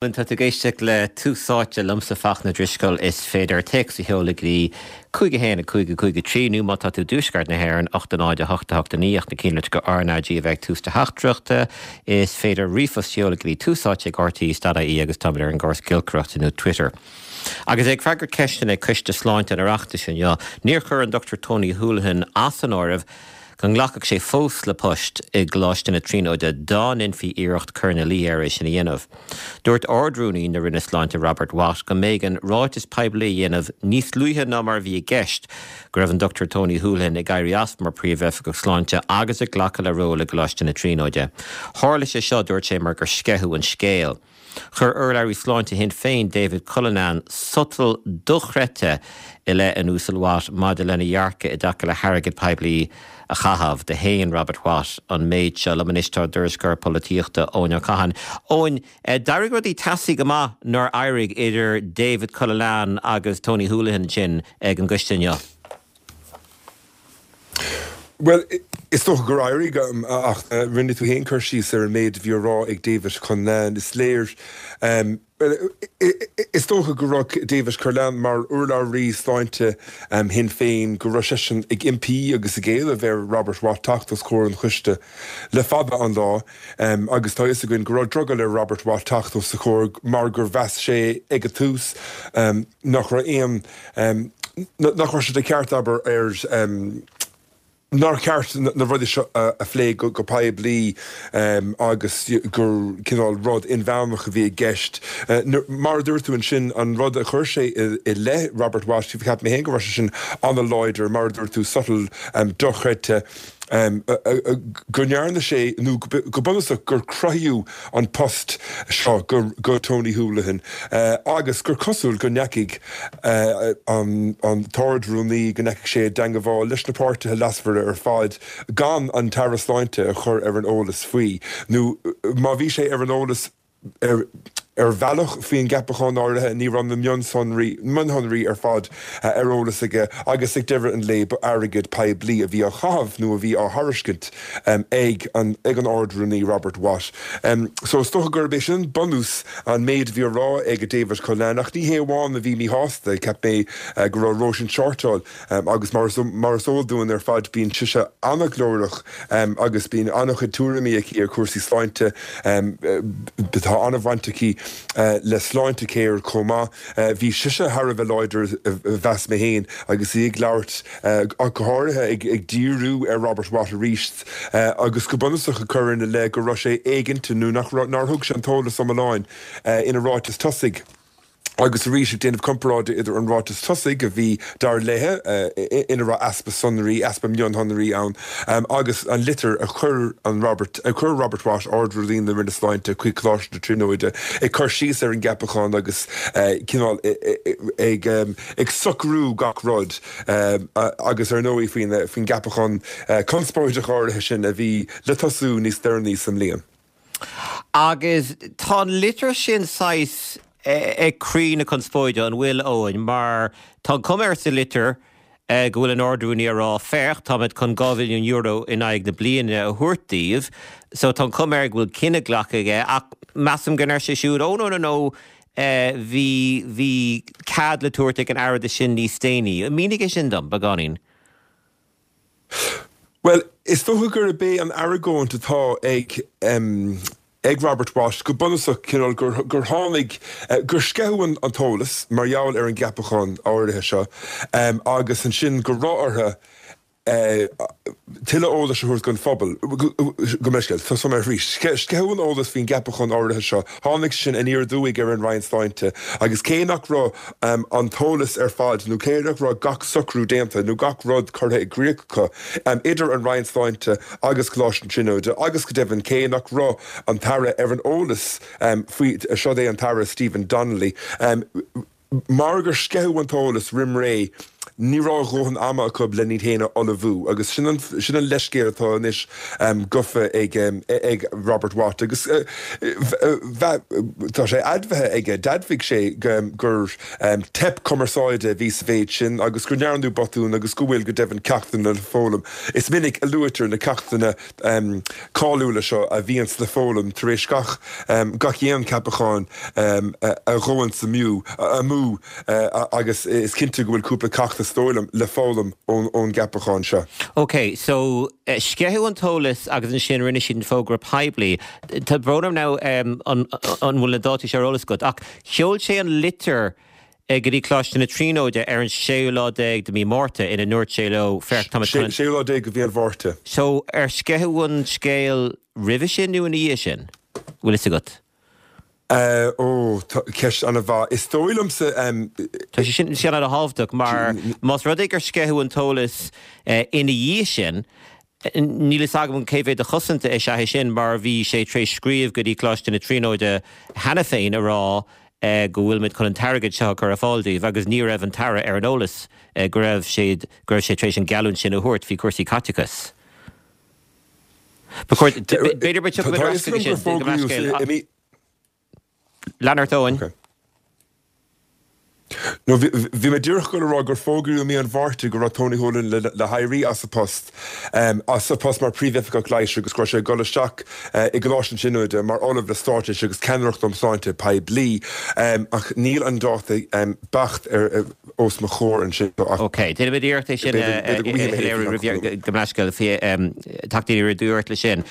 Tá tú ag éisteacht le Tús Áite liomsa Fachtna Drisceoil. Is féidir téacs a sheoladh go dtí 5 1 5 5 3 nó má tá tú i dtuaisceart na hÉireann, 8 0 8 8 9 ach na cinnlitreacha RnaG a bheith ag tús do theachtaireachta. Is féidir ríomhphost a sheoladh go dtí túsáite ag rte.ie agus táimid ar an gcóras giolcaireachta nó Twitter. Agus é ag freagairt ceisteanna ag Coiste Sláinte an Oireachtais inniu, níor chuir an Dr Tony Holohan as an áireamh go nglacfadh sé fós le post i gColáiste na Tríonóide dá ndéanfaí iarracht cur ina luí air é sin a dhéanamh. Dúirt Ard-Rúnaí na Roinne Sláinte Robert Watt go mb'éigean ráiteas poiblí a dhéanamh níos luaithe ná mar a bhí i gceist go raibh an Dr Tony Holohan ag éirí as mar Phríomh-Oifigeach Sláinte agus ag glacadh le ról i gColáiste na Tríonóide. Tharla sé seo, dúirt sé, mar gur sceitheadh an scéal. Chuir urlabhraí sláinte Shinn Féin, David Cullinane, sotal dochreidte i leith an Uasail Watt maidir lena dhearcadh i dtaca le hairgead poiblí a chaitheamh. Do shéan Robert Watt an méid seo. Liom anois tá ár dtuairisceoir polaitíochta, Eoin Ó Catháin. Eoin, d'éirigh rudaí teasaí go maith nár éirigh idir David Cullinane agus Tony Holohan ansin ag an gcoiste inniu. Bhuel, is dócha gur éirigh, ach rinne tú féin cur síos ar an méid a bhí á rá ag David Cullinane. Is léir, bhuel, is dócha go raibh David Cullinane mar urlabhraí sláinte Shinn Féin, go raibh seisean ag impí agus ag éileamh ar Robert Watt teacht os comhair an choiste le fada an lá agus tá a fhios againn go raibh drogall ar Robert Watt teacht os a chomhair mar gur mheas sé ag an tús nach raibh aon nach raibh sé de cheart, abair, air nár cheart na rudaí seo a phlé go poiblí agus gur cineál rud inmheánach a bhí i gceist. Mar a dúirt tú ansin, an rud a chuir sé i leith Robert Watt, cheap mé féin go raibh sé sin an-láidir, mar a dúirt tú, sotal dochreidte. go ndearna sé, nó go bunúsach gur cruthaíodh an post seo go Tony Holohan agus gur cosúil go ndeachaigh an tArd-Rúnaí, go ndeachaigh sé i dteangabháil leis na páirtithe leasmhara ar fad gan an tAire Sláinte a chur ar an eolas faoi, nó má bhí sé ar an eolas. Ar bhealach faoin gceapachán áirithe, ní raibh na mionsonraí, mionshonraí ar fad ar eolas aige agus ag deireadh an lae ba airgead poiblí a bhí á chaitheamh nó a bhí á thairiscint ag an ag an Ard-Rúnaí Robert Watt. So is dócha gurb é sin bunús an méid a bhí á rá ag David Cullinane ach ní hé amháin a bhí míshásta, cheap mé go raibh Róisín Shortall Agus mar is eol dúinn ar fad, bíonn sise an-ghlórach agus bíonn an-chuid tuairimí aici ar chúrsaí sláinte. Tá an-bhaint aici le Sláintecare chomh maith. Bhí sise thar a bheith láidir, mheas mé féin, agus í ag labhairt, ach go háirithe ag díriú ar Robert Watt arís agus go bunúsach ag cur ina leith go raibh sé éiginnte nó nach raibh, nár thug sé an t-eolas iomlán ina ráiteas tosaigh. Agus arís, ag déanamh comparáide idir an ráiteas tosaigh, a bhí, dar léi, ina raibh easpa sonraí, easpa mionshonraí ann, agus an litir a chuir an Robert, a chuir Robert Watt, Ard-Rúnaí na Roinne Sláinte, chuig Coláiste na Tríonóide, ag cur síos ar an gceapachán agus cineál ag ag socrú gach rud, agus ar ndóigh faoin faoin gceapachán conspóideach áirithe sin a bhí le tosú níos deireanaí sa mbliain. Agus tá an litir sin saghas ag croí na conspóide, an bhfuil, Eoin? Mar tá an chuma air sa litir go bhfuil an Ard-Rúnaí ag rá, féach, táimid chun €2 mhilliún in aghaidh na bliana a thabhairt daoibh, so tá an chuma air go bhfuil cinneadh glactha aige, ach measaim go ndeir sé siúd, oh no, no, no, bhí, bhí cead le tabhairt ag an Aire do sin níos déanaí. Mínigh é sin dom, beagáinín. Bhuel, is dócha gurb é an argóint atá ag ag Robert Watt go bunúsach, cineál gur gur tháinig, gur sceitheadh an an t-eolas mar gheall ar an gceapachán áirithe seo agus ansin go raibh orthu tuilleadh eolais a thabhairt don phobal. Gabh mo leithscéal, tosóidh mé arís. Sceitheadh an eolas faoin gceapachán áirithe seo, tháinig sin aniar aduaidh ar an Roinn Sláinte agus cé nach raibh an t-eolas ar fad nó cé nach raibh gach socrú déanta nó gach rud curtha i gcrích acu idir an Roinn Sláinte agus Coláiste na Tríonóide agus go deimhin cé nach raibh an tAire ar an eolas faoi, siod é an tAire Stephen Donnelly, mar gur sceitheadh an t-eolas roim ré. Ní raibh a dhóthain ama acu len iad féin a ullmhú agus sin an sin an leithscéal atá anois gofa ag ag Robert Watt agus tá sé admhaithe aige, d'admhaigh sé gur teip cumarsáide a bhí sa mhéid sin agus go ndearnadh botún agus go bhfuil go deimhin ceachtanna le foghlaim. Is minic a luaitear na ceachtanna cáiliúla seo a bhíonns le foghlaim tar éis gach gach aon ceapachán a ghabhanns amú amú agus is cinnte go bhfuil cúpla ceacht is dóigh liom le foghlaim ón gceapachán seo. Ok, so sceitheadh an t-eolas agus ansin rinne siad an fógra poiblí. Tá brón orm now an bhfuil na dátaí seo ar eolas agat ach sheol sé an litir go dtí Coláiste na Tríonóide ar an séú lá déag de mí Márta ina ndúirt sé leo, féach, táimid chun an. Séú lá déag de mhí an Mhárta. So ar sceitheadh an scéal roimhe sin nó ina dhiaidh sin? Bhfuil fhios agat? Ó, ceist an-mhaith. Is dóigh liomsa. Tá sé sin an-thábhachtach mar más rud é gur sceitheadh an t-eolas ina dhiaidh sin, níl fhios agam cé mhéad de chosaint is ea é sin mar bhí sé tar éis scríobh go dtí Coláiste na Tríonóide cheana féin a rá go bhfuilimid chun an t-airgead seo a chur ar fáil daoibh agus ní raibh an tAire ar an eolas go raibh sé go raibh sé tar éis an gheallúint sin a thabhairt faoi chúrsaí caiteachais. Ba chóir, b'fhéidir go dtiocfaimid ar ais chuige sin, go meascéal. Lean ort, Eoin. No, bhí mé díreach ag dul a rá gur fógraíodh i mí an Mhárta go raibh Tony Holohan le héirí as a post, as a post mar Phríomhoifigeach Leighis agus go raibh sé ag dul isteach i gColáiste na Tríonóide mar Ollamh le Straitéis agus Ceannaireacht um Shláinte Poiblí. Ach níl an dáta beacht ar os mo chomhair ansin ach. Ok, déanfaimid iarracht é sin a shoiléiriú roimh go meascéal teacht aniar aduaidh ort leis sin.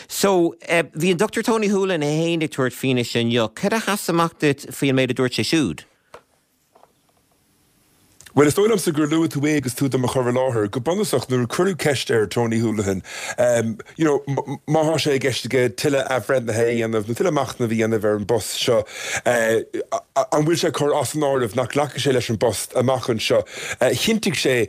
So, bhí an Dr Tony Holohan é féin ag tabhairt fianaise inniu. Cad a sheas amach duit faoi an méid a dúirt sé siúd? Bhuel, is dóigh liomsa gur luaigh tú é agus tú do mo chur i láthair. Go bunúsach, nuair a cuireadh ceist ar Tony Holohan, you know, má thá sé i gceist aige tuilleadh athbhreithnithe a dhéanamh nó tuilleadh machnaimh a dhéanamh ar an bpost seo, an bhfuil sé ag cur as an áireamh nach nglacfaidh sé leis an bpost amach anseo, chinntigh sé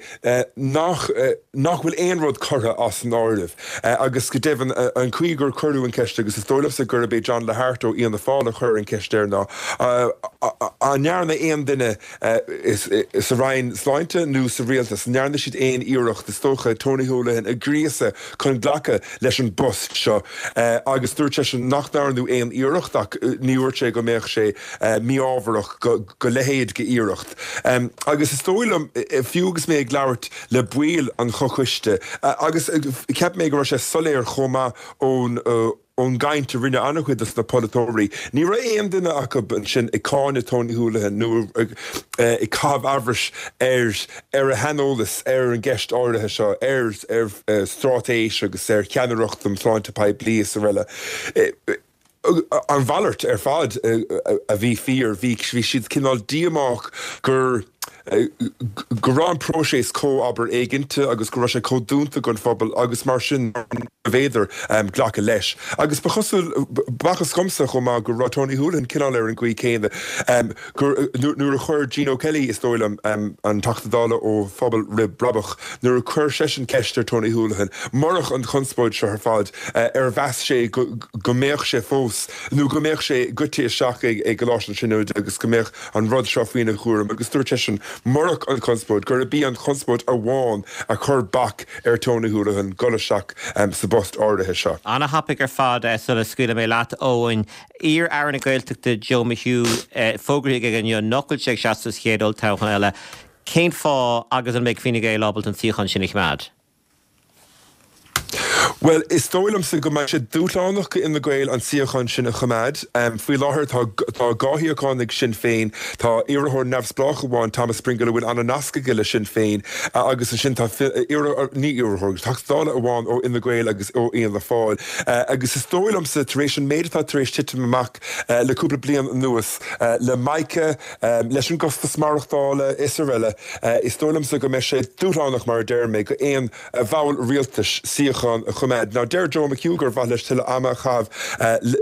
nach nach bhfuil aon rud curtha as an áireamh. Agus go deimhin, an chaoi gur cuireadh an cheist, agus is dóigh liomsa gurb é John Lahart ó Fhianna Fáil a chuir an cheist air, ná an ndearna aon duine sa Roinn Sláinte nó sa Rialtas, an ndearna siad aon iarracht, is dócha, Tony Holohan a ghríosadh chun glacadh leis an bpost seo agus dúirt seisean nach ndearnadh aon iarracht ach ní dhúirt sé go mbeadh sé mí-ámharach go leithéid de iarracht. Agus is dóigh liom, fiú agus mé ag labhairt le baill an chomhchoiste, agus cheap mé go raibh sé soiléir chomh maith ón Ón gcaint a rinne an-chuid dos na polaiteoirí, ní raibh aon duine acu ansin ag cáineadh Tony Holohan nó ag caitheamh amhrais ar ar a shaineolas ar an gceist áirithe seo, ar ar straitéis agus ar cheannaireacht um shláinte poiblí is araile. An mhalairt ar fad a bhí fíor, bhí siad cineál díomách gur go raibh an próiseas chomh, abair, éiginnte agus go raibh sé chomh dúnta don phobal agus mar sin nárbh fhéidir glacadh leis. Agus ba chosúil, b'fhacthas dhomsa chomh maith go raibh Tony Holohan cineál ar an gcaoi chéanna, gur, nuair a chuir Gene O'Kelly, is dóigh liom, an Teachta Dála ó Phobal Roimh Brabach, nuair a chuir seisean ceist ar Tony Holohan, murach an chonspóid seo ar fad, ar mheas sé go mbeadh sé fós, nó go mbeadh sé goite isteach i gColáiste na Tríonóide agus go mbeadh an rud seo faoina chúram agus dúirt seisean, murach an chonspóid, gurb í an chonspóid amháin a chuir bac ar Tony Holohan dul isteach sa bpost áirithe seo. Ana-thapaidh ar fad sula scaoilfidh mé leat, Eoin. Iar-Aire na Gaeltachta Joe McHugh fógraithe aige inniu nach bhfuil sé ag seasamh sa chéad olltoghchán eile. Cén fáth agus an mbeidh Fine Gael ábalta an suíochán sin a choimeád? Bhuel, is dóigh liomsa go mbeidh sé dúshlánach do Fhine Gael an suíochán sin a choimeád. Faoi láthair tá tá 2 shuíochán ag Sinn Féin, tá iarrthóir neamhspleách amháin, Thomas Pringle, a bhfuil an-nasc aige le Sinn Féin agus ansin tá iarrthóir, ní iarrthóir, Teachta Dála amháin ó Fhine Gael agus ó Fhianna Fáil. Agus is dóigh liomsa, tar éis an méid atá tar éis titim amach le cúpla bliain anuas, le Mica, leis an gcostas maireachtála is araile, is dóigh liomsa go mbeidh sé dúshlánach, mar a deir mé, do aon bhall rialtais suíochán a. choimeád. Now deir Joe McHugh gur mhaith leis tuilleadh ama a chaitheamh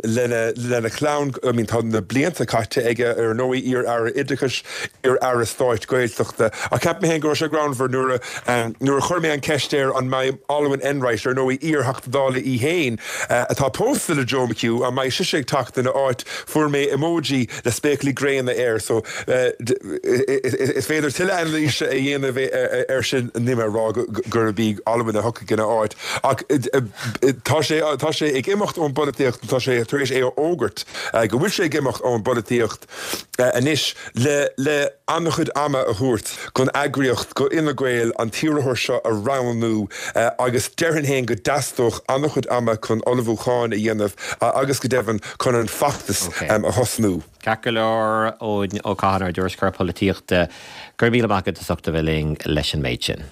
lena lena chlann. I mean tá na blianta caite aige, ar ndóigh, iar-aire oideachais, iar-aire stáit Gaeltachta. Ach cheap mé féin go raibh sé greannmhar nuair a nuair a chuir mé an cheist air an mbeidh Olwen Enright, ar ndóigh iar-Theachta Dála í féin, atá pósta le Joe McHugh, an mbeidh sise ag teacht ina áit, fuair mé emoji le spéaclaí gréine air. So is féidir tuilleadh anailíse a dhéanamh air sin, níl mé ag rá gurb í Olwen a thiocfaidh ina áit, ach tá sé tá sé ag imeacht ón bpolaitíocht, tá sé tar éis é a fhógairt go bhfuil sé ag imeacht ón bpolaitíocht anois le le an-chuid ama a thabhairt don eagraíocht, go Fhine Gael an t-iarrthóir seo a roghnú agus déarfainn féin go dteastódh an-chuid ama chun ullmhúcháin a dhéanamh agus go deimhin chun an feachtas a thosnú. Ceart go leor, Eoin Ó Catháin, ár dtuairisceoir polaitíochta, go raibh míle maith agat as ucht a bheith linn leis an méid sin.